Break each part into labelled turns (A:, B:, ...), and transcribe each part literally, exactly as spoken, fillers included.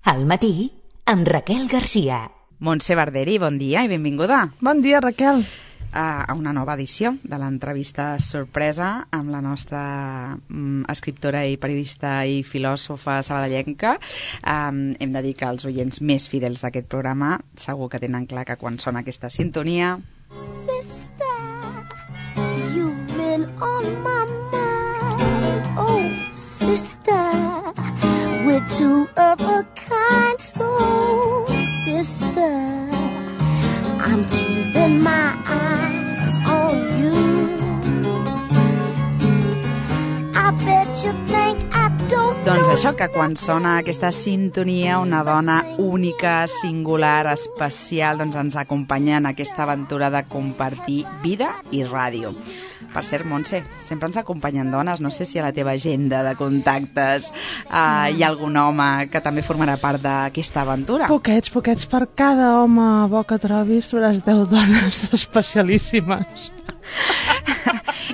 A: Al matí, amb Raquel Garcia.
B: Montse Barderi, bon dia i benvinguda.
C: Bon dia, Raquel.
B: A una nova edició de l'entrevista sorpresa amb la nostra um, escriptora i periodista i filòsofa sabadellenca. Um, hem de dir que els oients més fidels d'aquest programa segur que tenen clar que quan sona aquesta sintonia...
D: Sister, you've been on my mind. Oh, sister, we're two of a kind soul. Sister, I'm keeping my eyes on you. I bet you think I don't know.
B: Doncs això, que quan sona aquesta sintonia, una dona única, singular, especial, doncs ens acompanya en aquesta aventura de compartir vida i ràdio. Per cert, Montse, sempre ens acompanyen dones. No sé si a la teva agenda de contactes uh, hi ha algun home que també formarà part d'aquesta aventura.
C: Poquets, poquets. Per cada home bo que trobis trobaràs deu dones especialíssimes.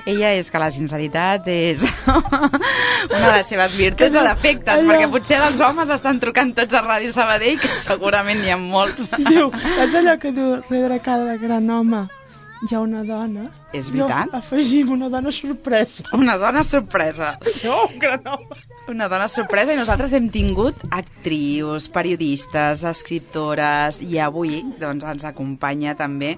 B: Ella és que la sinceritat és una de les seves virtuts o defectes, allò... perquè potser els homes estan trucant tots a Ràdio Sabadell, que segurament n'hi ha molts.
C: Diu, és allò que diu, darrere cada gran home hi ha una dona.
B: És veritat?
C: Jo afegim una dona sorpresa.
B: Una dona sorpresa.
C: Jo, un gran home.
B: Una dona sorpresa, i nosaltres hem tingut actrius, periodistes, escriptores, i avui doncs, ens acompanya també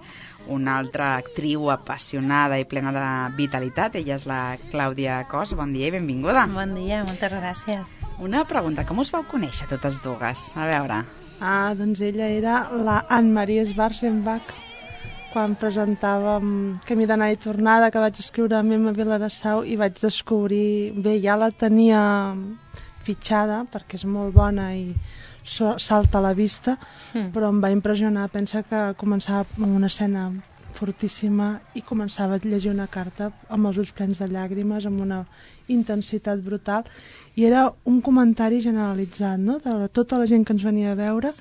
B: una altra actriu apassionada i plena de vitalitat. Ella és la Clàudia Cos. Bon dia i benvinguda.
E: Bon dia, moltes gràcies.
B: Una pregunta, com us vau conèixer totes dues? A veure.
C: Ah, doncs ella era la Anne-Marie Schwarzenbach, quan presentàvem Camí d'anar i tornada, que vaig escriure a Mema Vilarassau, i vaig descobrir... Bé, ja la tenia fitxada, perquè és molt bona i salta a la vista, mm. però em va impressionar. Pensa que començava amb una escena fortíssima i començava a llegir una carta amb els ulls plens de llàgrimes, amb una intensitat brutal, i era un comentari generalitzat, no?, de tota la gent que ens venia a veure.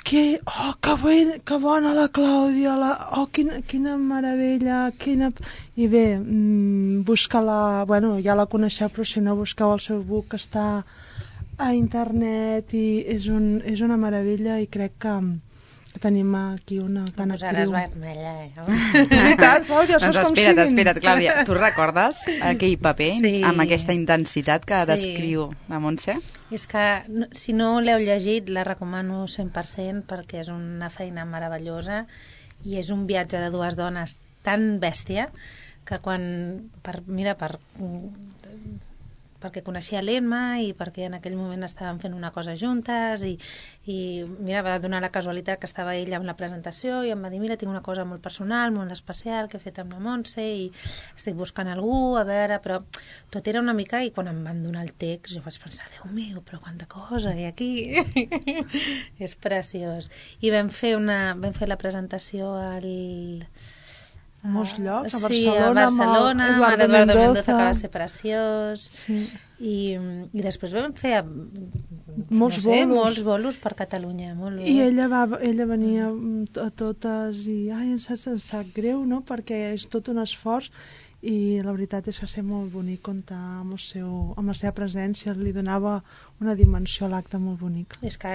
C: Que, oh, que, ben, que bona la Clàudia, la, oh, quina, quina meravella, quina... I bé, mmm, busca-la, bueno, ja la coneixeu, però si no, busqueu el seu book, que està a internet, i és, un, és una meravella, i crec que tenim aquí una gran actriu.
E: Posaràs vermella, eh?
C: Veritat, Clàudia,
B: doncs espera't, espera't, Clàudia. Tu recordes aquell paper
E: sí.
B: amb aquesta intensitat que
E: sí.
B: descriu la Montse?
E: És que, si no l'heu llegit, la recomano cent per cent, perquè és una feina meravellosa i és un viatge de dues dones tan bèstia que quan... Per, mira, per... perquè coneixia l'Emma i perquè en aquell moment estàvem fent una cosa juntes i, i mira, va donar la casualitat que estava ella amb la presentació i em va dir, mira, tinc una cosa molt personal, molt especial que he fet amb la Montse i estic buscant algú, a veure, però tot era una mica, i quan em van donar el text jo vaig pensar, Déu meu, però quanta cosa hi ha aquí. És preciós. I vam fer, una, vam fer la presentació al...
C: molts llocs, a Barcelona,
E: sí, a Barcelona,
C: amb Eduardo
E: Eduardo Mendoza,
C: Mendoza,
E: que va ser preciós,
C: sí.
E: I, i després vam fer
C: molts,
E: no sé,
C: bolos.
E: molts bolos per Catalunya, molt
C: i ella, va, ella venia a totes i ai, em sap, em sap greu, no?, perquè és tot un esforç, i la veritat és que ser molt bonic comptar amb, el seu, amb la seva presència, li donava una dimensió a l'acte molt bonic.
E: És que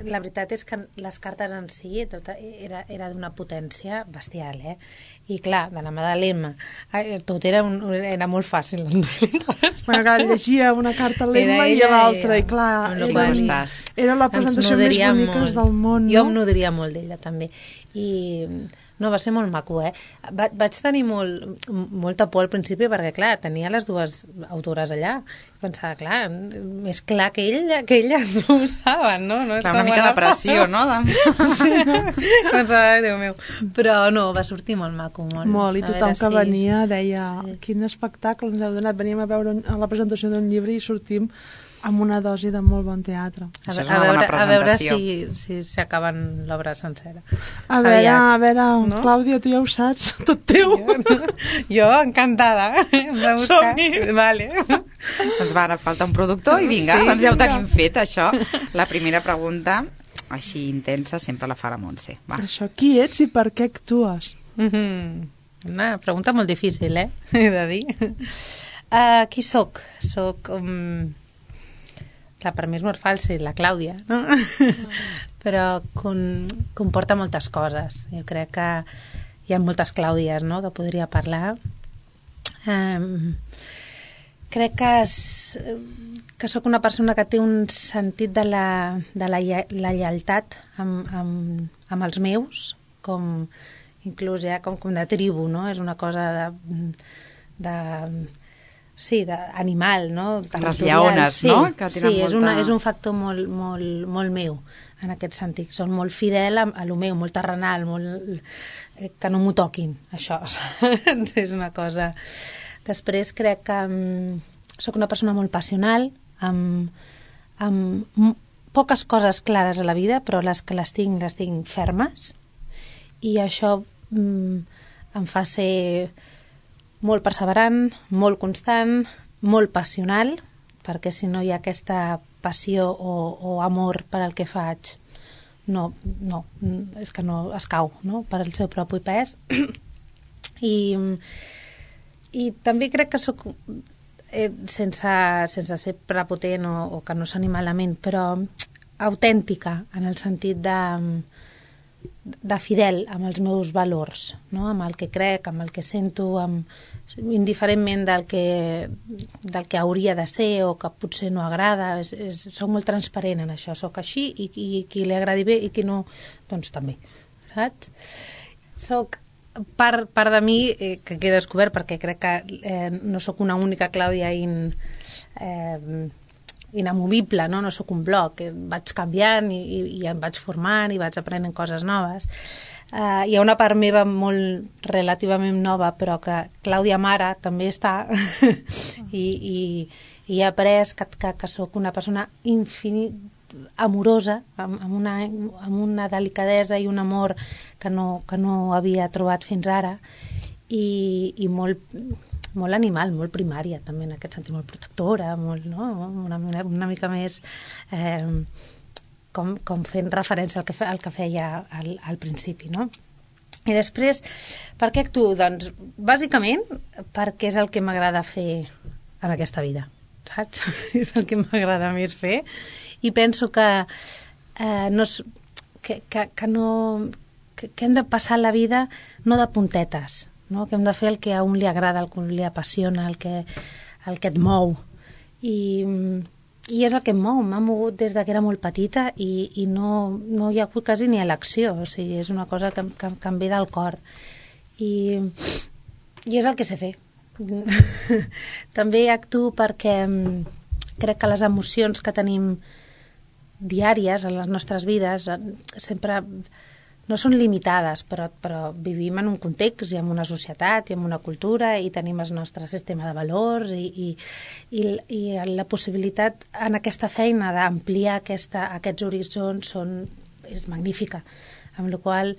E: la veritat és que les cartes en si tot era, era d'una potència bestial, eh? I clar, de la mà de l'Emma tot era, un, era molt fàcil.
C: Bueno, clar, llegia una carta a l'Emma i a l'altra, i clar, era, era la presentació més bonica del món,
E: jo
C: no?
E: em nodria molt d'ella també, i no, va ser molt maco, eh? Va, vaig tenir molt, molta por al principi perquè, clar, tenia les dues autores allà. Pensava, clar, més clar que, ell, que elles no ho saben, no? no és
B: clar, una mica de pressió, no?
E: Sí, no? Pensava, Déu meu. Però no, va sortir molt maco, molt.
C: Molt, i tothom que si... venia deia, sí. Quin espectacle ens heu donat. Veníem a veure a la presentació d'un llibre i sortim amb una dosi de molt bon teatre.
B: A, Això és una a, veure, bona presentació.
E: A veure si, si s'acaben l'obra sencera.
C: A veure, a veure, no? Clàudia, tu ja ho saps, tot teu.
E: Jo, jo encantada.
C: Som-hi.
E: Vale.
B: Doncs va, ara falta un productor i vinga, sí, doncs ja ho tenim fet, això. La primera pregunta, així intensa, sempre la fa la Montse. Va.
C: Per això, qui ets i per què actues?
E: Mm-hmm. Una pregunta molt difícil, eh? He de dir. Uh, qui soc? Soc... Um... clar, per mi és molt fàcil, la Clàudia, no? Però con, comporta moltes coses. Jo crec que hi ha moltes Clàudies, no?, que podria parlar. Um, crec que, és, que sóc una persona que té un sentit de la, de la, la lleialtat amb, amb, amb els meus, com inclús ja com, com de tribu, no? És una cosa de... de sí, d'animal, no?
B: Les lleones,
E: sí,
B: no? Que
E: sí,
B: molta...
E: és, una, és un factor molt, molt, molt meu, en aquest sentit. Són molt fidel a, a lo meu, molt terrenal, molt... que no m'ho toquin, això. És una cosa... Després crec que um, sóc una persona molt passional, amb, amb poques coses clares a la vida, però les que les tinc, les tinc fermes, i això um, em fa ser molt perseverant, molt constant, molt passional, perquè si no hi ha aquesta passió o, o amor per al que faig, no, no, és que no es cau, no?, per el seu propi pes. I, i també crec que sóc, eh, sense, sense ser prepotent o, o que no soni malament, però autèntica, en el sentit de... de fidel amb els meus valors, no? Amb el que crec, amb el que sento, amb, indiferentment del que, del que hauria de ser o que potser no agrada. És, és, soc molt transparent en això, soc així i, i qui li agradi bé i qui no, doncs també, saps? Soc part, part de mi eh, que he descobert, perquè crec que eh, no sóc una única Clàudia in... Eh, inamovible, no? No sóc un bloc, vaig canviant i, i, i em vaig formant i vaig aprenent coses noves. Uh, hi ha una part meva molt relativament nova, però que Clàudia Mare també està i, i, i he après que, que, que sóc una persona infinit, amorosa, amb, amb, una, amb una delicadesa i un amor que no, que no havia trobat fins ara, i, i molt... molt animal, molt primària, també en aquest sentit, molt protectora, molt, no? una, una mica més eh, com, com fent referència al que, fe, al que feia al, al principi, no? I després, per què actuo? Doncs, bàsicament, perquè és el que m'agrada fer en aquesta vida, saps? És el que m'agrada més fer, i penso que, eh, no, que, que, que, no, que, que hem de passar la vida no de puntetes, no? Que hem de fer el que a un li agrada, el que li apassiona, el que, el que et mou. I, i és el que em mou. M'ha mogut des que era molt petita i, i no, no hi ha hagut quasi ni elecció. O sigui, és una cosa que, que, que em ve del cor. I, i és el que sé fer. També actuo perquè crec que les emocions que tenim diàries en les nostres vides sempre... no són limitades, però, però vivim en un context i en una societat i en una cultura i tenim el nostre sistema de valors i, i, i, i la possibilitat en aquesta feina d'ampliar aquesta, aquests horitzons són, és magnífica, amb la qual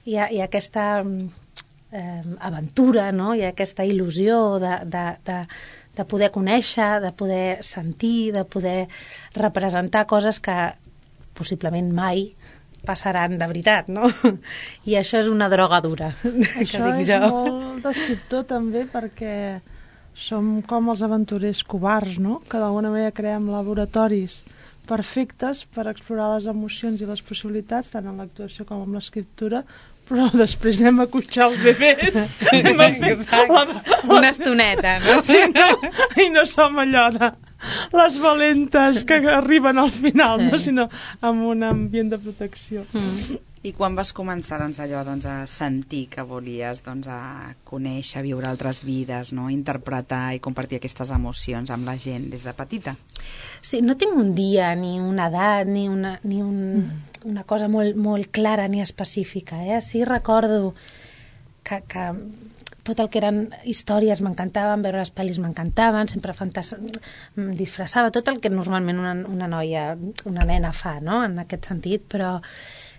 E: hi ha, hi ha aquesta eh, aventura, no? Hi ha aquesta il·lusió de, de, de, de poder conèixer, de poder sentir, de poder representar coses que possiblement mai passaran de veritat, no? I això és una droga dura,
C: això
E: que dic
C: és
E: jo.
C: molt descriptor també, perquè som com els aventurers covards, no? Que d'alguna manera creem laboratoris perfectes per explorar les emocions i les possibilitats, tant en l'actuació com en l'escriptura, però després anem a cotxar els bebès.
E: la, una estoneta, no?
C: Sí, no? I no som allò de les valentes que arriben al final, no? Sinó amb un ambient de protecció.
B: Mm. I quan vas començar doncs, allò doncs, a sentir que volies doncs, a conèixer, viure altres vides, no? Interpretar i compartir aquestes emocions amb la gent des de petita?
E: Sí, no tinc un dia, ni una edat, ni una, ni un, mm. una cosa molt, molt clara ni específica. Eh? Sí recordo que, que tot el que eren històries m'encantaven, veure les pel·lis m'encantaven, sempre fantas... em disfressava, tot el que normalment una, una noia, una nena fa, no? En aquest sentit, però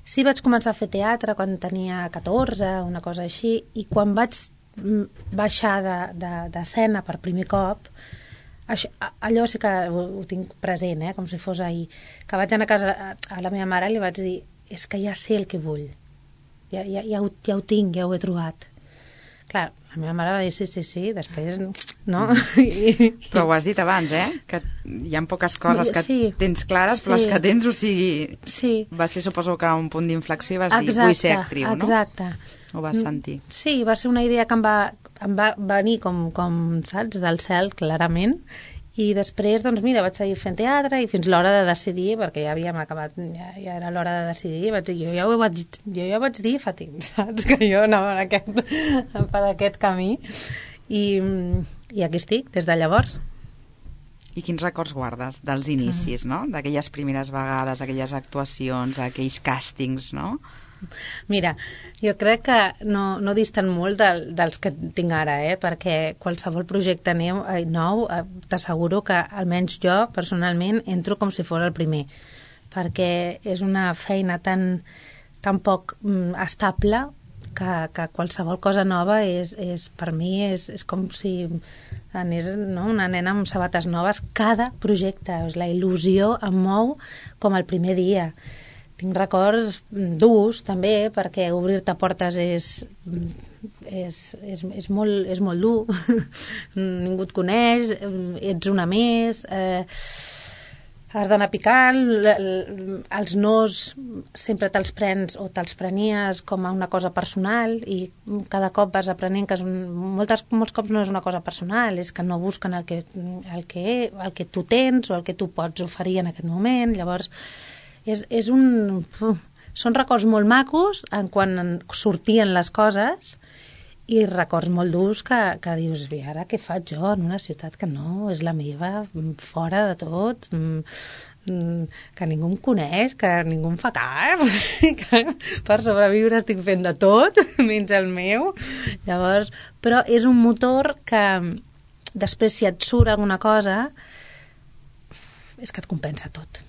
E: sí vaig començar a fer teatre quan tenia catorze, una cosa així, i quan vaig baixar d'escena de, de, per primer cop, això, allò sí que ho, ho tinc present, eh? Com si fos ahir, que vaig anar a casa a la meva mare i li vaig dir, és que ja sé el que vull, ja, ja, ja, ho, ja ho tinc, ja ho he trobat. Clar, La meva mare va dir sí, sí, sí, després no. I...
B: Però ho has dit abans, eh? Que hi ha poques coses que sí, tens clares, sí. Però les que tens, o sigui...
E: Sí.
B: Va ser, suposo que un punt d'inflexió i vas exacte, dir, vull ser actriu, no?
E: Exacte.
B: Ho vas sentir.
E: Sí, va ser una idea que em va, em va venir com, com, saps, del cel, clarament. I després, doncs mira, vaig seguir fent teatre i fins l'hora de decidir, perquè ja havíem acabat, ja, ja era l'hora de decidir, vaig dir, jo ja ho vaig, jo ja vaig dir fa temps, saps? Que jo anava en aquest, per aquest camí. I, I aquí estic, des de llavors.
B: I quins records guardes dels inicis, no? D'aquelles primeres vegades, aquelles actuacions, aquells càstings, no?
E: Mira, jo crec que no, no distant molt del, dels que tinc ara, eh? Perquè qualsevol projecte nou, nou t'asseguro que almenys jo, personalment, entro com si fos el primer, perquè és una feina tan, tan poc mm, estable que, que qualsevol cosa nova és, és per mi és, és com si anés, no? Una nena amb sabates noves cada projecte, la il·lusió em mou com el primer dia. Tinc records durs, també, perquè obrir-te portes és, és, és, és, molt, és molt dur. Ningú et coneix, ets una més, eh, has d'anar picant, els nos sempre te'ls prens o te'ls prenies com a una cosa personal i cada cop vas aprenent que és un, moltes, molts cops no és una cosa personal, és que no busquen el que, el que, el que tu tens o el que tu pots oferir en aquest moment. Llavors, És, és un... Són records molt macos en quan sortien les coses i records molt durs que, que dius, i ara què faig jo en una ciutat que no és la meva, fora de tot, que ningú em coneix, que ningú em fa cas, que per sobreviure estic fent de tot, menys el meu. Llavors, però és un motor que després si et surt alguna cosa és que et compensa tot.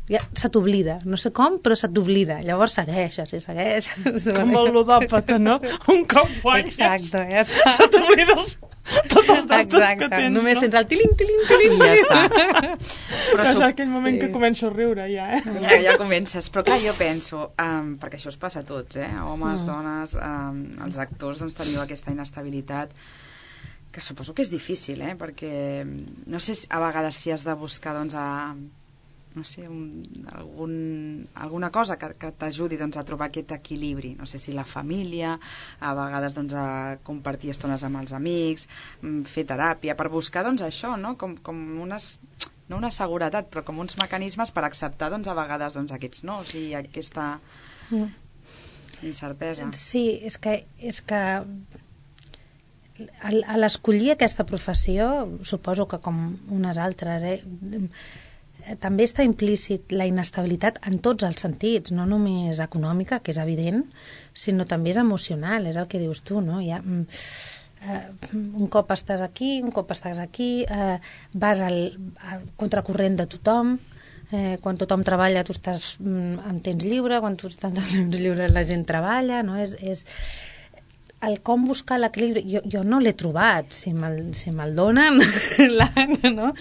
E: Ja se t'oblida, no sé com, però se t'oblida. Llavors segueixes i segueixes.
C: Com el ludòpata, no? Un cop guanyes.
E: Exacte, ja està.
C: Se t'oblida tots els deutes que tens,
E: només
C: no?
E: sents el tiling, tiling, tiling.
B: I ja està.
C: Però és aquell moment sí. que començo a riure, ja, eh?
B: Ja, ja comences. Però clar, jo penso, um, perquè això us passa a tots, eh? Homes, mm. dones, um, els actors, doncs teniu aquesta inestabilitat que suposo que és difícil, eh? Perquè no sé si a vegades si has de buscar, doncs, a... no sé, un, algun, alguna cosa que, que t'ajudi doncs, a trobar aquest equilibri, no sé si la família, a vegades doncs, a compartir estones amb els amics, fer teràpia, per buscar doncs, això, no? Com, com unes, no una seguretat, però com uns mecanismes per acceptar doncs, a vegades doncs, aquests nos i aquesta incertesa.
E: Sí, és que, és que a l'escollir aquesta professió, suposo que com unes altres, eh, també està implícit la inestabilitat en tots els sentits, no només econòmica, que és evident, sinó també és emocional, és el que dius tu, no? Hi ha, eh, un cop estàs aquí, un cop estàs aquí, eh, vas al, al contracorrent de tothom, eh, quan tothom treballa tu estàs en temps lliure, quan tu estàs en temps lliure la gent treballa, no? És... és el com buscar l'equilibri, jo, jo no l'he trobat, si me'l si me donen, no?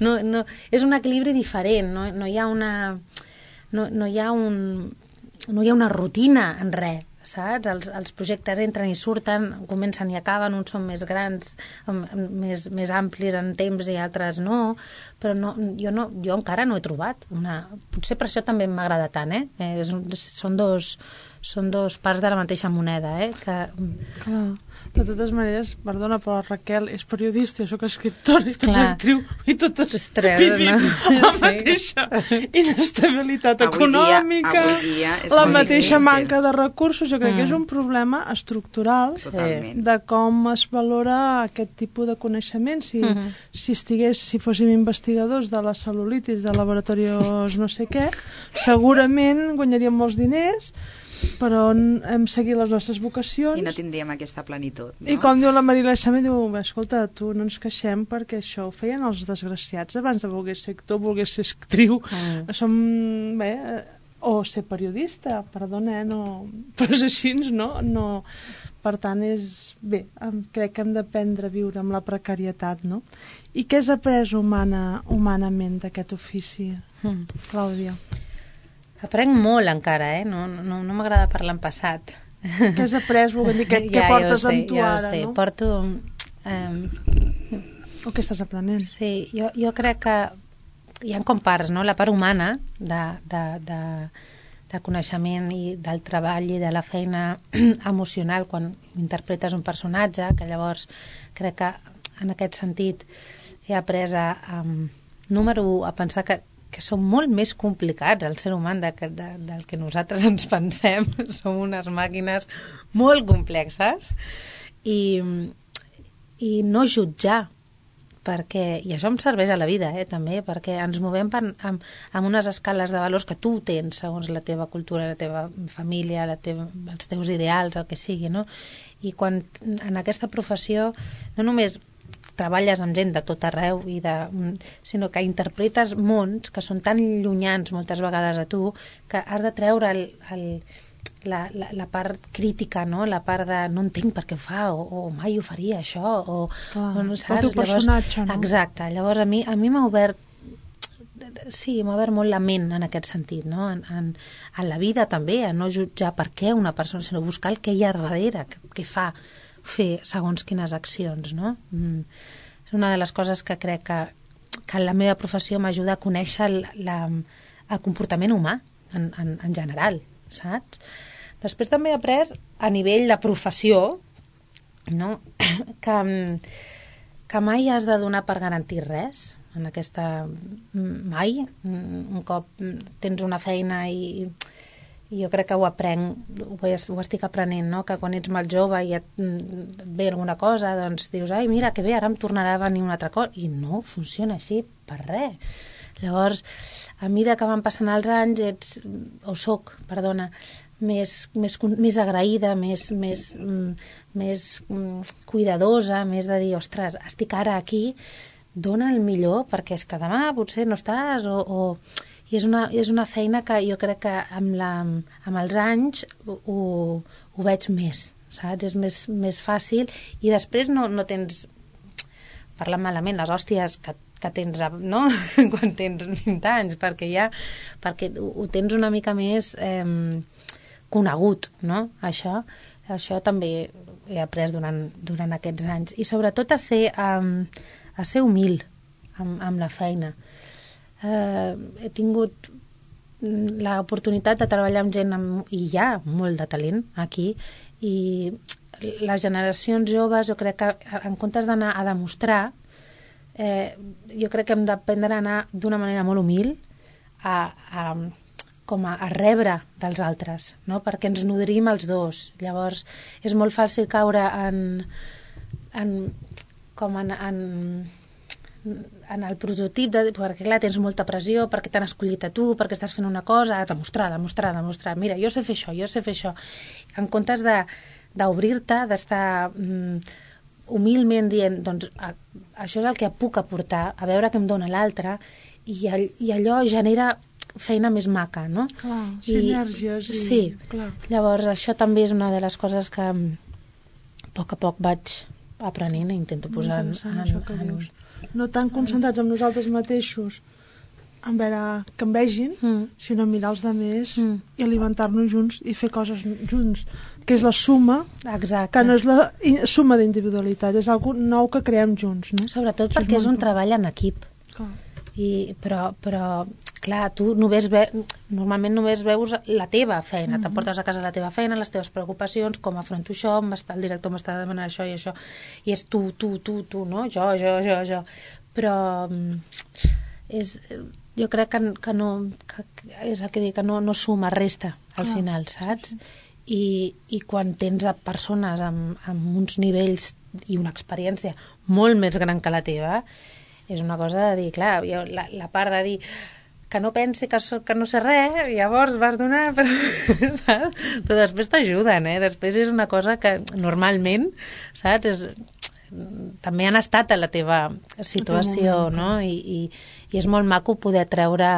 E: No, no, és un equilibri diferent, no, no hi ha una no, no hi ha un no hi ha una rutina en res, saps? Els, els projectes entren i surten, comencen i acaben, uns són més grans, més, més amplis en temps i altres no, però no, jo, no, jo encara no he trobat una... Potser per això també m'agrada tant, eh? eh són dos són dos parts de la mateixa moneda, eh? Que...
C: Clar, de totes maneres, perdona, però Raquel és periodista, jo soc escriptora, i tu ets actriu, i totes vivim no? la sí. mateixa inestabilitat
B: avui
C: econòmica,
B: dia, avui dia
C: la mateixa
B: difícil.
C: manca de recursos. Jo crec mm. que és un problema estructural
B: Totalment.
C: de com es valora aquest tipus de coneixement. Si, mm -hmm. si estigués, si fóssim investigadors de la cel·lulitis, de laboratoris no sé què, segurament guanyaríem molts diners, però hem seguit les nostres vocacions
B: i no tindríem aquesta plenitud, no?
C: I com diu la Marilà Sama, diu, escolta, tu no ens queixem perquè això ho feien els desgraciats abans de voler ser actor, voler ser actriu, mm. som bé, o ser periodista, perdona, eh, no, però és així, no? no per tant, és bé, crec que hem d'aprendre a viure amb la precarietat, no? I què has après humana, humanament d'aquest ofici, mm. Clàudia?
E: Aprenc molt encara, eh? No, no, no m'agrada parlar en passat.
C: Què has après, vull dir, què, què
E: Ja,
C: portes
E: ja ho sé,
C: amb tu
E: ja ho
C: ara,
E: sé.
C: no?
E: Porto... Um,
C: O què estàs aprenent?
E: Sí, jo, jo crec que hi ha com parts, no? La part humana de, de, de, de coneixement i del treball i de la feina emocional quan interpretes un personatge, que llavors crec que en aquest sentit he après a, um, número un, a pensar que, que som molt més complicats, el ser humà, de, de, del que nosaltres ens pensem. Som unes màquines molt complexes i, i no jutjar, perquè, i això em serveix a la vida, eh, també, perquè ens movem per, amb, amb unes escales de valors que tu tens segons la teva cultura, la teva família, la teva, els teus ideals, el que sigui, no? I quan en aquesta professió no només treballes amb gent de tot arreu, i de, sinó que interpretes mons que són tan llunyans moltes vegades a tu que has de treure el, el La, la, la part crítica, no? La part de no entenc per què ho fa, o, o mai ho faria això, o,
C: Clar,
E: o no saps?
C: El teu personatge,
E: llavors,
C: no?
E: Exacte, llavors a mi, a mi m'ha obert sí, m'ha obert molt la ment en aquest sentit, no? En, en, en la vida també, a no jutjar per què una persona, sinó buscar el que hi ha darrere, que, que fa fer segons quines accions, no? Mm. És una de les coses que crec que, que la meva professió m'ajuda a conèixer el, la, el comportament humà en, en, en general, saps? Després també he après a nivell de professió, no? que, que mai has de donar per garantir res en aquesta... mai. Un cop tens una feina i, i jo crec que ho aprenc, ho, ho estic aprenent, no? Que quan ets molt jove i et, et ve alguna cosa, doncs dius, ai, mira, que bé, ara em tornarà a venir una altra cosa. I no funciona així per res. Llavors, a mesura que van passant els anys, ets, o soc, perdona, més, més, més agraïda, més, més, més cuidadosa, més de dir, ostres, estic ara aquí, dona el millor, perquè és que demà potser no estàs, o... o... I és una, és una feina que jo crec que amb, la, amb els anys ho, ho veig més, saps? És més, més fàcil, i després no, no tens, parlant malament, les hòsties que que tens, no? Quan tens vint anys, perquè ja perquè ho tens una mica més eh, conegut, no? Això, això també he après durant, durant aquests anys. I sobretot a ser, um, a ser humil amb, amb la feina. Eh, he tingut l'oportunitat de treballar amb gent amb, i hi ha molt de talent aquí, i les generacions joves, jo crec que en comptes d'anar a demostrar, Eh, jo crec que hem d'aprendre a anar d'una manera molt humil a, a, com a, a rebre dels altres, no? Perquè ens nodrim els dos. Llavors és molt fàcil caure en, en, com en, en, en el prototip de, perquè clar, tens molta pressió, perquè t'han escollit a tu, perquè estàs fent una cosa, a demostrar, demostrar, demostrar, mira, jo sé fer això, jo sé fer això, en comptes de d'obrir-te, d'estar mm, humilment dient, doncs a, això és el que puc aportar, a veure què em dona l'altre, i, all, i allò genera feina més maca, no?
C: Clar, sinergies. I...
E: Sí,
C: clar.
E: Llavors això també és una de les coses que a poc a poc vaig aprenent i intento posar en, en,
C: això que
E: en...
C: dius. No tan concentrats amb nosaltres mateixos en veure que em vegin, mm. sinó mirar els altres mm. i alimentar-nos junts i fer coses junts, que és la suma.
E: Exacte.
C: Que no és la suma d'individualitat, és algo nou que creem junts, no?
E: Sobretot això perquè és, és un treball en equip.
C: Clar.
E: I, però, però, clar, tu només ve, normalment només veus la teva feina, mm-hmm. t'emportes a casa la teva feina, les teves preocupacions, com afronto això, el director m'està demanant això i això, i és tu, tu, tu, tu, no? Jo, jo, jo, jo. Però és... jo crec que, que no que és el que dic, que no, no suma, resta al ah, final, saps? Sí, sí. I, i quan tens a persones amb, amb uns nivells i una experiència molt més gran que la teva, és una cosa de dir, clar, jo, la, la part de dir que no pensi que, que no sé res, llavors vas donar, però, saps? Però després t'ajuden, eh? Després és una cosa que normalment, saps? És, també han estat a la teva situació, no? I, i, i és molt maco poder treure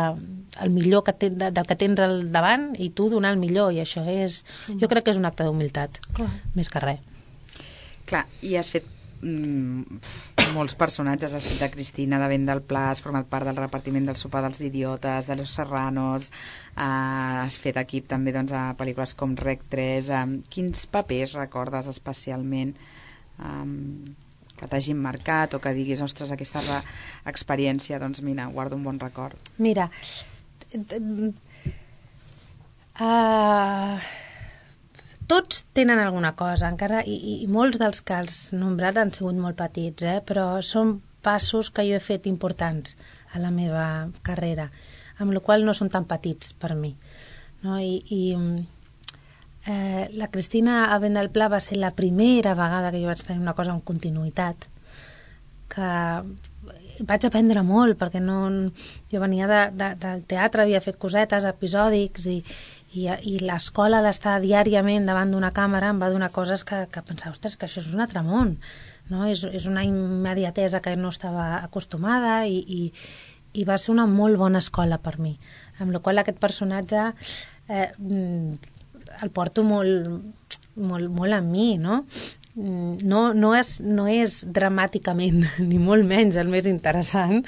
E: el millor que ten, del que tens al davant i tu donar el millor, i això és, jo crec que és un acte d'humilitat, més que res.
B: Clar, i has fet mm, molts personatges. Has fet de Cristina de Vent del Pla, has format part del repartiment del Sopar dels Idiotes, de Los Serranos, eh, has fet equip també doncs, a pel·lícules com Rec tres. Eh, quins papers recordes especialment eh, que t'hagin marcat o que diguis, ostres, aquesta experiència, doncs mira, guardo un bon record?
E: Mira, uh, tots tenen alguna cosa, encara, i, i molts dels que els nombrats han sigut molt petits, eh? Però són passos que jo he fet importants a la meva carrera, amb la qual no són tan petits per mi, no? I, i eh, la Cristina a Vent del Pla va ser la primera vegada que jo vaig tenir una cosa amb continuïtat, que vaig aprendre molt, perquè no, jo venia de, de, del teatre, havia fet cosetes, episòdics, i I, i l'escola d'estar diàriament davant d'una càmera em va donar coses que, que pensava, ostres, que això és un altre món, no? És, és una immediatesa que no estava acostumada i, i, i va ser una molt bona escola per mi, amb la qual aquest personatge eh, el porto molt, molt, molt amb mi, no? No, no, és, no és dramàticament, ni molt menys el més interessant,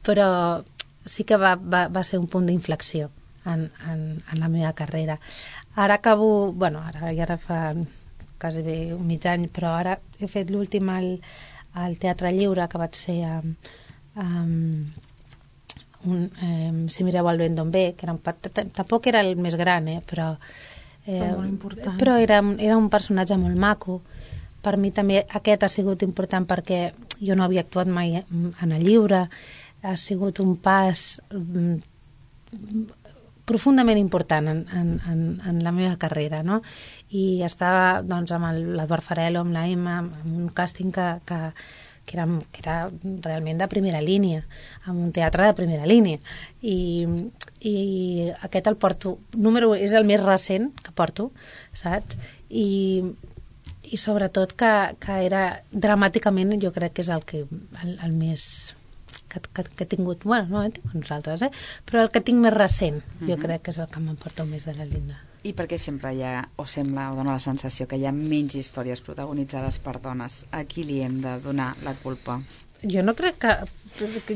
E: però sí que va, va, va ser un punt d'inflexió En, en, en la meva carrera. Ara acabo, bueno, ara ja ara fa quasi bé un mig any, però ara he fet l'últim al, al Teatre Lliure que vaig fer a, a, un, eh, Si mireu el vent d'on ve, que era un, tampoc era el més gran, eh, però, eh,
C: però molt important.
E: Però era, era un personatge molt maco. Per mi també aquest ha sigut important perquè jo no havia actuat mai en el lliure, ha sigut un pas profundament important en, en, en, en la meva carrera, no? I estava doncs, amb l'Eduard Farelo, amb la Emma, amb un càsting que, que, que, era, que era realment de primera línia, amb un teatre de primera línia. I, i aquest el porto, número és el més recent que porto, saps? I, i sobretot que, que era dramàticament, jo crec que és el, que, el, el més... Que, que, que he tingut, bueno, no he tingut nosaltres, eh? Però el que tinc més recent, jo uh-huh. crec que és el que m'emporta més de la Linda.
B: I per què sempre hi ha, o sembla, o dona la sensació que hi ha menys històries protagonitzades per dones? A qui li hem de donar la culpa?
E: Jo no crec que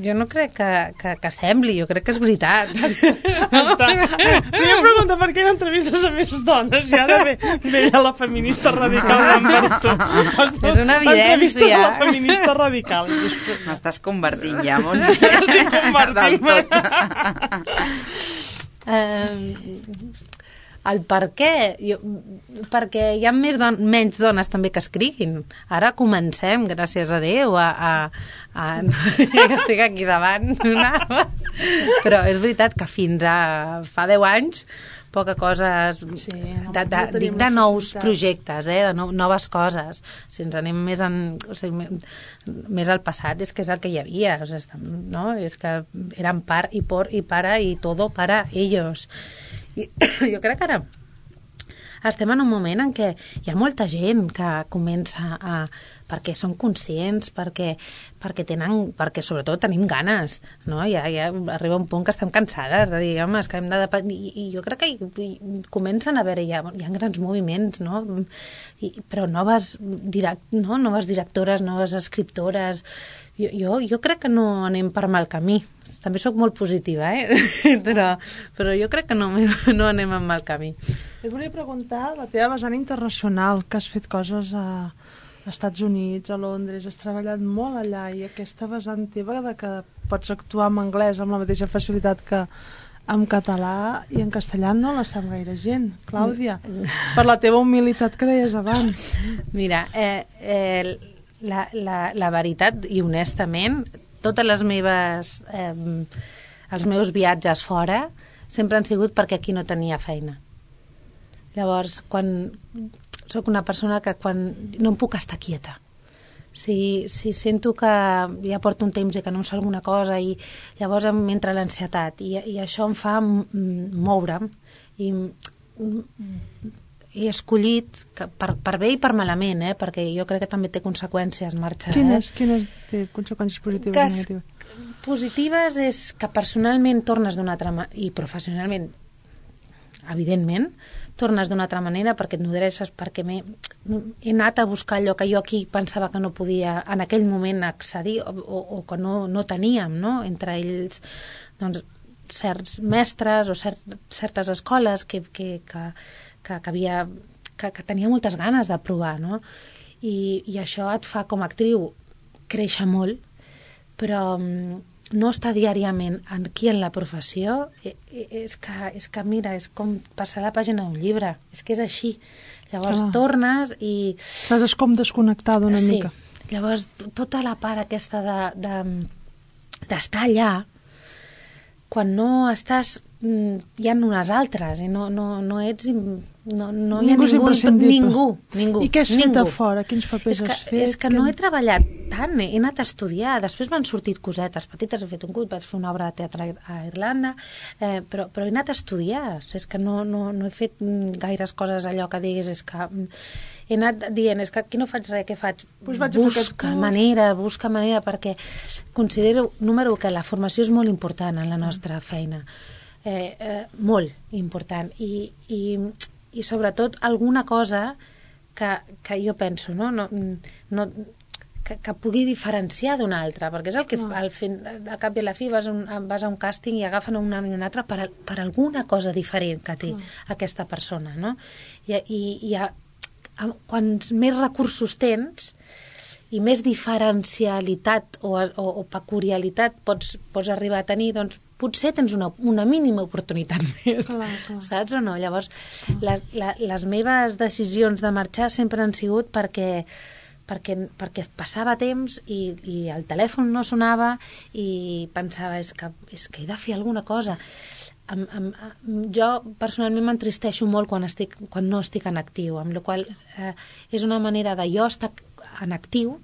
E: jo no crec que, que, que sembli, jo crec que és veritat.
C: Volia preguntar per què no entrevistes a més dones, ja de bé, veia la feminista radical d'Amberto.
B: És una evidència.
C: Entrevistes a la feminista radical.
B: M'estàs convertint ja, Montse.
C: Estic convertint-me.
E: Um, el per què? Jo, perquè hi ha més don menys dones també que escriguin. Ara comencem, gràcies a Déu, a... a, a ja que estic aquí davant. Però és veritat que fins a fa deu anys poca cosa... Sí, no, de, de, no dic de nous projectes, eh, de no, noves coses. Si ens anem més, en, o sigui, més al passat, és que és el que hi havia. O sigui, no? És que eren part i por i para i todo para ellos. I jo crec que ara estem en un moment en què hi ha molta gent que comença a... perquè són conscients, perquè, perquè tenen, perquè sobretot tenim ganes, no? Ja, ja arriba un punt que estem cansades de dir, home, és que hem de... I, i jo crec que hi, hi comencen a veure, hi ha, hi ha grans moviments, no? I, però noves, direct, no? noves directores, noves escriptores... Jo, jo, jo crec que no anem per mal camí. També sóc molt positiva, eh? però, però jo crec que no, no anem en mal camí.
C: Et volia preguntar la teva vessant internacional, que has fet coses a... als Estats Units, a Londres, has treballat molt allà, i aquesta vessant teva de que pots actuar en anglès amb la mateixa facilitat que en català i en castellà no la sap gaire gent, Clàudia, per la teva humilitat que deies abans.
E: Mira, eh, eh, la, la, la veritat, i honestament, totes les meves eh, els meus viatges fora sempre han sigut perquè aquí no tenia feina. Llavors, quan soc una persona que quan no em puc estar quieta. Si, si sento que ja porto un temps i que no em surt alguna cosa, i llavors m'entra l'ansietat, i, i això em fa moure'm, i he escollit que per, per bé i per malament, eh? Perquè jo crec que també té conseqüències marxar.
C: Quines,
E: eh?
C: quines té conseqüències positives
E: que,
C: i negatives?
E: Positives és que personalment tornes d'una altra manera, i professionalment evidentment tornes d'una altra manera, perquè et nodreixes, perquè me... he anat a buscar allò que jo aquí pensava que no podia en aquell moment accedir o, o, o que no, no teníem, no? Entre ells doncs, certs mestres o cert, certes escoles que, que, que, que, que, havia, que, que tenia moltes ganes de provar, no? I, i això et fa com a actriu créixer molt, però no està diàriament aquí en la professió, és que, és que mira, és com passar la pàgina d'un llibre, és que és així. Llavors ah. tornes i...
C: Estàs com desconnectada una
E: sí.
C: mica.
E: Llavors, tota la part aquesta de, de, d'estar allà, quan no estàs, hi ha unes altres, i no, no, no ets... No, no
C: ningú
E: hi ha ningú, ningú, ningú.
C: I què has
E: ningú.
C: fet a fora? Quins papers
E: és que,
C: has fet?
E: És que
C: que...
E: no he treballat tant, he anat a estudiar, després m'han sortit cosetes petites, he fet un curt, vaig fer una obra de teatre a Irlanda, eh, però, però he anat a estudiar, és que no, no, no he fet gaires coses allò que diguis, és que he anat dient, és que aquí no faig res, què faig?
C: Pues vaig
E: busca manera, busca manera, perquè considero, número u, que la formació és molt important en la nostra feina, eh, eh, molt important, i... i i sobretot alguna cosa que, que jo penso, no? No, no, que, que pugui diferenciar d'una altra, perquè és el que no. al, fin, al cap i a la fi vas a un, vas a un càsting i agafen una i una altra per, per alguna cosa diferent que té no. aquesta persona, no? I, i, i a, a, quants més recursos tens i més diferencialitat o, o, o peculiaritat pots, pots arribar a tenir, doncs potser tens una, una mínima oportunitat més, clar, clar. Saps o no? Llavors, les, la, les meves decisions de marxar sempre han sigut perquè, perquè, perquè passava temps i, i el telèfon no sonava i pensava, és que, és que he de fer alguna cosa. Am, am, jo personalment m'entristeixo molt quan, estic, quan no estic en actiu, amb la qual eh, és una manera de jo estar en actiu,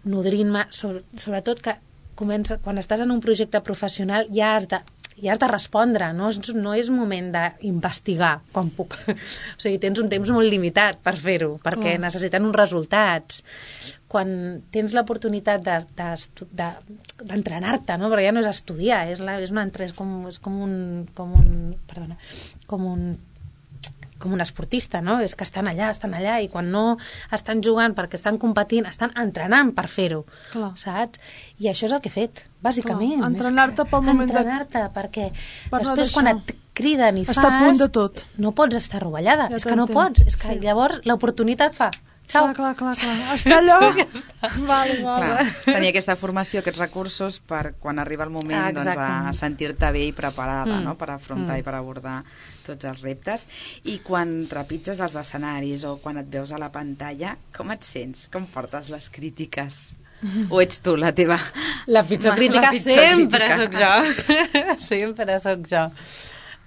E: nodrint-me, sobre, sobretot que comença, quan estàs en un projecte professional ja has de, ja has de respondre, no, no és moment d'investigar quan puc. O sigui, tens un temps molt limitat per fer-ho, perquè oh. necessiten uns resultats. Quan tens l'oportunitat d'entrenar-te, de, de, no? Perquè ja no és estudiar, és, la, és, una, és, com, és com un, com un, perdona, com un com un esportista, no? És que estan allà, estan allà, i quan no estan jugant perquè estan competint, estan entrenant per fer-ho, saps? I això és el que he fet, bàsicament.
C: Clar, entrenar-te pel moment de...
E: Entrenar-te, perquè
C: per
E: després no quan et criden i fas...
C: Està a punt de tot.
E: No pots estar rovellada, ja és que no pots, és que sí. Llavors l'oportunitat fa... Ciao.
C: Clar, clar, clar, clar. Està allò? Vale, vale.
B: Clar, tenir aquesta formació, aquests recursos per quan arriba el moment ah, doncs, a sentir-te bé i preparada mm. no? per afrontar mm. i per abordar tots els reptes. I quan trepitges els escenaris o quan et veus a la pantalla, com et sents? Com portes les crítiques? Mm. O ets tu la teva...
E: La pitjor crítica la pitjor sempre crítica. Soc jo. Sempre soc jo.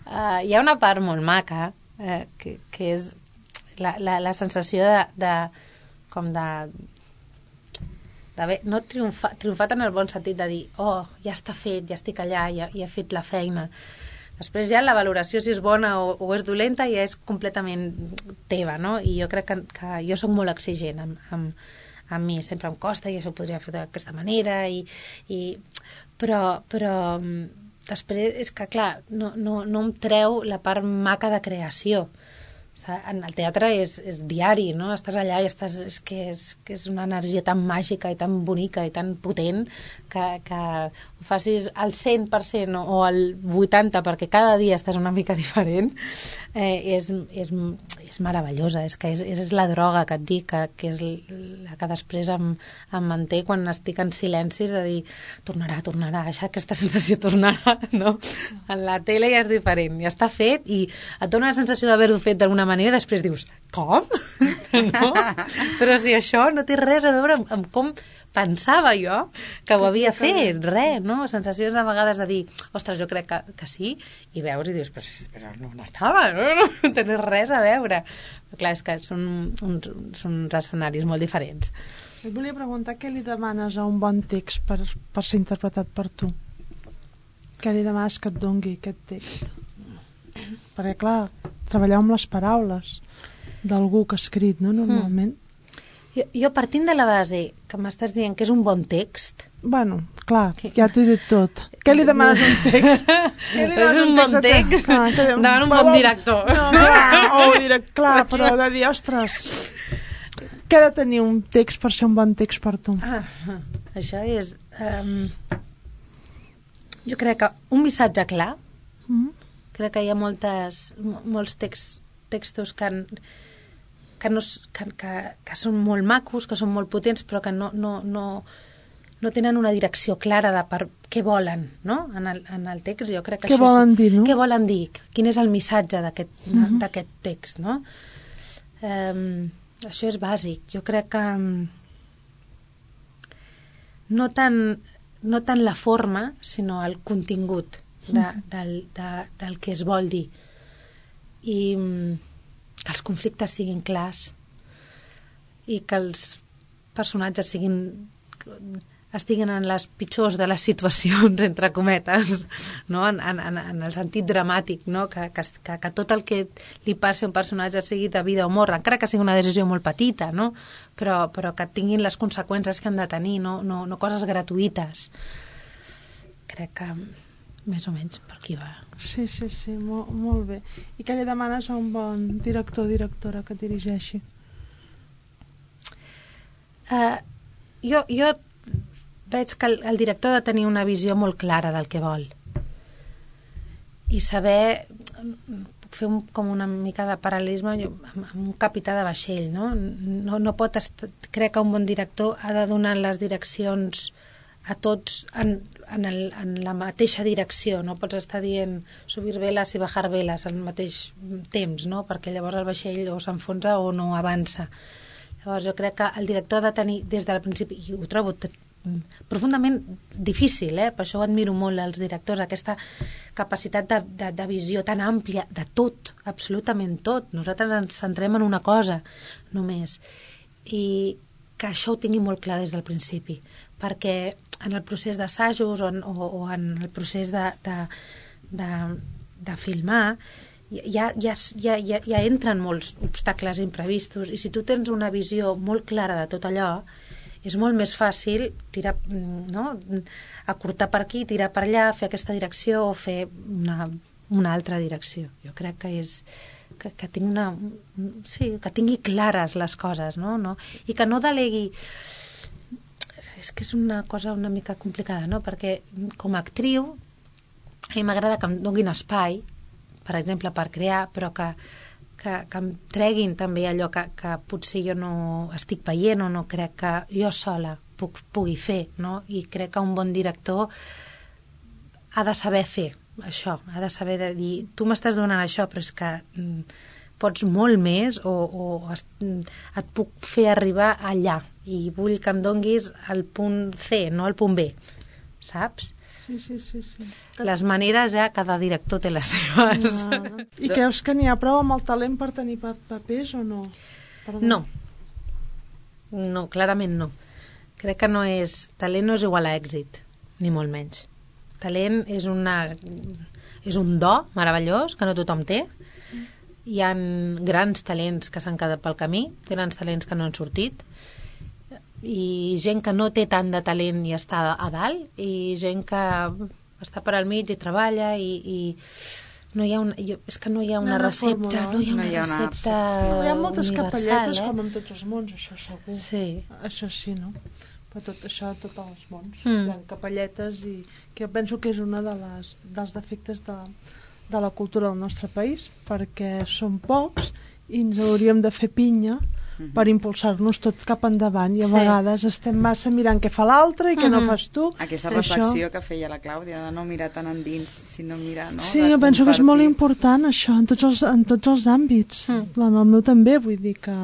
E: Uh, hi ha una part molt maca eh, que, que és la, la, la sensació de, de com de d'haver, no triomfa, triomfat en el bon sentit de dir, oh, ja està fet, ja estic allà, ja, ja he fet la feina. Després ja la valoració, si és bona o, o és dolenta, ja és completament teva, no? I jo crec que, que jo soc molt exigent amb, amb, amb mi, sempre em costa i això ho podria fer d'aquesta manera, i, i, però, però després és que, clar, no, no, no em treu la part maca de creació. En el teatre és, és diari, no? Estàs allà i estàs, és, que és, que és una energia tan màgica i tan bonica i tan potent que, que ho facis al cent per cent o al vuitanta per cent perquè cada dia estàs una mica diferent, eh, és, és, és meravellosa, és que és, és la droga que et dic, que, que és la que després em, em manté quan estic en silencis de dir, tornarà, tornarà, això, aquesta sensació tornarà, no? En la tele ja és diferent, ja està fet i et dona la sensació d'haver-ho fet d'alguna manera, després dius, com? No? Però si això no té res a veure amb, amb com pensava jo que ho havia fet, res, no? Sensacions a vegades de dir, ostres, jo crec que, que sí, i veus i dius, però, però no n'estava, no? No té res a veure. Però clar, és que són uns, són uns escenaris molt diferents.
C: Et volia preguntar què li demanes a un bon text per, per ser interpretat per tu? Què li demanes que et dongui aquest text? Perquè, clar, treballar amb les paraules d'algú que ha escrit, no?, normalment. Mm.
E: Jo, jo partint de la base que m'estàs dient que és un bon text...
C: Bueno, clar, que... ja t'ho he dit tot. Què li demanes un text? Què li
E: demanes un, un bon text? Clar, que... Demana un bon director.
C: No, clar, o direct, clar, però de dir, ostres... Què ha de tenir un text per ser un bon text per tu?
E: Ah, això és... Um, jo crec que un missatge clar, mm. crec que hi ha moltes, molts text, textos que, han, que, no, que, que, que són molt macos, que són molt potents, però que no, no, no, no tenen una direcció clara de per què volen, no? En el, en el text. Jo crec que
C: què
E: això
C: volen
E: és,
C: dir, no?
E: Què volen dir? Quin és el missatge d'aquest
C: mm-hmm.
E: d'aquest text, no? Um, això és bàsic. Jo crec que um, no tant, no tant la forma, sinó el contingut de, del, de, del que es vol dir. I um, que els conflictes siguin clars i que els personatges siguin... estiguin en les pitjors de les situacions, entre cometes, no? en, en, en el sentit dramàtic, no? que, que, que tot el que li passi a un personatge sigui de vida o mort, encara que sigui una decisió molt petita, no? però, però que tinguin les conseqüències que han de tenir, no, no, no coses gratuïtes. Crec que més o menys per aquí va.
C: Sí, sí, sí, molt, molt bé. I què li demanes a un bon director o directora que et dirigeixi?
E: Uh, jo, jo veig que el, el director ha de tenir una visió molt clara del que vol i saber fer un, com una mica de paral·lelisme amb, amb un capità de vaixell, no? No, no pot estar, crec que un bon director ha de donar les direccions a tots en, en, el, en la mateixa direcció, no pots estar dient subir veles i bajar veles al mateix temps, no? Perquè llavors el vaixell o s'enfonsa o no avança. Llavors jo crec que el director ha de tenir des del principi, i ho trobo profundament difícil, eh? Per això ho admiro molt als directors, aquesta capacitat de, de, de visió tan àmplia de tot, absolutament tot. Nosaltres ens centrem en una cosa només, i que això ho tingui molt clar des del principi, perquè en el procés d'assajos o, o, o en el procés de, de, de, de filmar ja, ja, ja, ja, ja entren molts obstacles imprevistos, i si tu tens una visió molt clara de tot allò, és molt més fàcil tirar, no? Acortar per aquí, tirar per allà, fer aquesta direcció o fer una, una altra direcció. Jo crec que és que, que, tingui una, sí, que tingui clares les coses, no? No? I que no delegui... És que és una cosa una mica complicada, no? Perquè com a actriu a mi m'agrada que em donin espai, per exemple, per crear, però que Que, que em treguin també allò que, que potser jo no estic veient o no crec que jo sola puc, pugui fer, no? I crec que un bon director ha de saber fer això, ha de saber de dir, tu m'estàs donant això, però és que mm, pots molt més o, o es, et puc fer arribar allà i vull que em donguis el punt C, no el punt B, saps?
C: Sí, sí, sí, sí.
E: Les maneres ja cada director té les seves.
C: Ah. I creus que n'hi ha prou amb el talent per tenir papers o no? Perdó.
E: No. No, clarament no. Crec que no és... Talent no és igual a èxit, ni molt menys. Talent és una... és un do meravellós que no tothom té. Hi ha grans talents que s'han quedat pel camí, grans talents que no han sortit, i gent que no té tant de talent i està a dalt, i gent que està per al mig i treballa i, i no hi ha una, jo, és que no hi ha una
C: no,
E: recepta, no hi ha una, no hi ha una recepta
C: no, hi ha moltes capelletes,
E: eh?
C: Com en tots els mons, això segur.
E: Sí.
C: Això sí, no? Però tot això, tots els mons.
E: Mm.
C: Hi ha capelletes i que jo penso que és una de les, dels defectes de, de la cultura del nostre país, perquè som pocs i ens hauríem de fer pinya Uh-huh. per impulsar-nos tot cap endavant i a sí. vegades estem massa mirant què fa l'altre i què uh-huh. no fas tu.
B: Aquesta reflexió això... que feia la Clàudia de no mirar tan endins, sinó mirar, no?
C: Sí, jo penso que és molt important això en tots els, en tots els àmbits. Mm. En el meu també, vull dir que,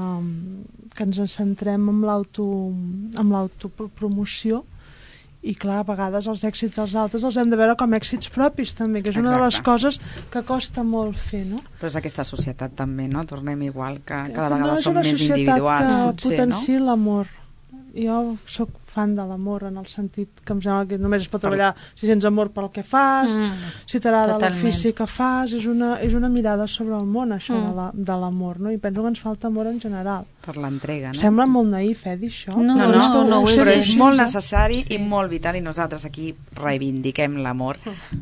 C: que ens centrem en l'auto en l'autopromoció i clar, a vegades els èxits dels altres els hem de veure com èxits propis també, que és una Exacte. de les coses que costa molt fer, no?
B: Però és aquesta societat també, no? Tornem igual, que cada
C: no
B: vegada som més individuals,
C: potser, no?
B: No?
C: És una societat que potenciï l'amor. Jo soc fan de l'amor, en el sentit que em sembla que només es pot treballar si sents amor pel que fas, mm, si t'agrada l'ofici que fas, és una, és una mirada sobre el món, això mm. de l'amor, no? I penso que ens falta amor en general.
B: Per l'entrega, no?
C: Sembla molt naïf, eh, dir això.
B: No, no, no, no, no però és molt necessari sí. i molt vital, i nosaltres aquí reivindiquem l'amor,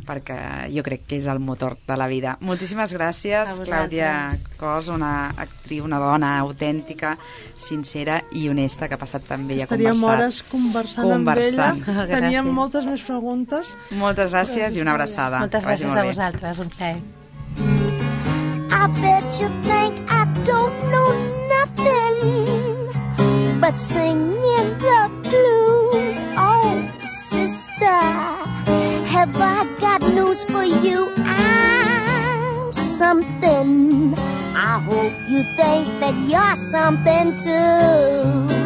B: perquè jo crec que és el motor de la vida. Moltíssimes gràcies, Clàudia Cos, una actriu, una dona autèntica, sincera i honesta, que ha passat també i ha conversat.
C: Estaríem hores conversant, conversant. amb ella. Teníem moltes més preguntes.
B: Moltes gràcies i una abraçada.
E: Moltes gràcies a vosaltres, un plaer.
D: I bet you think I don't know nothing but singing the blues. Oh, sister, have I got news for you? I'm something. I hope you think that you're something too.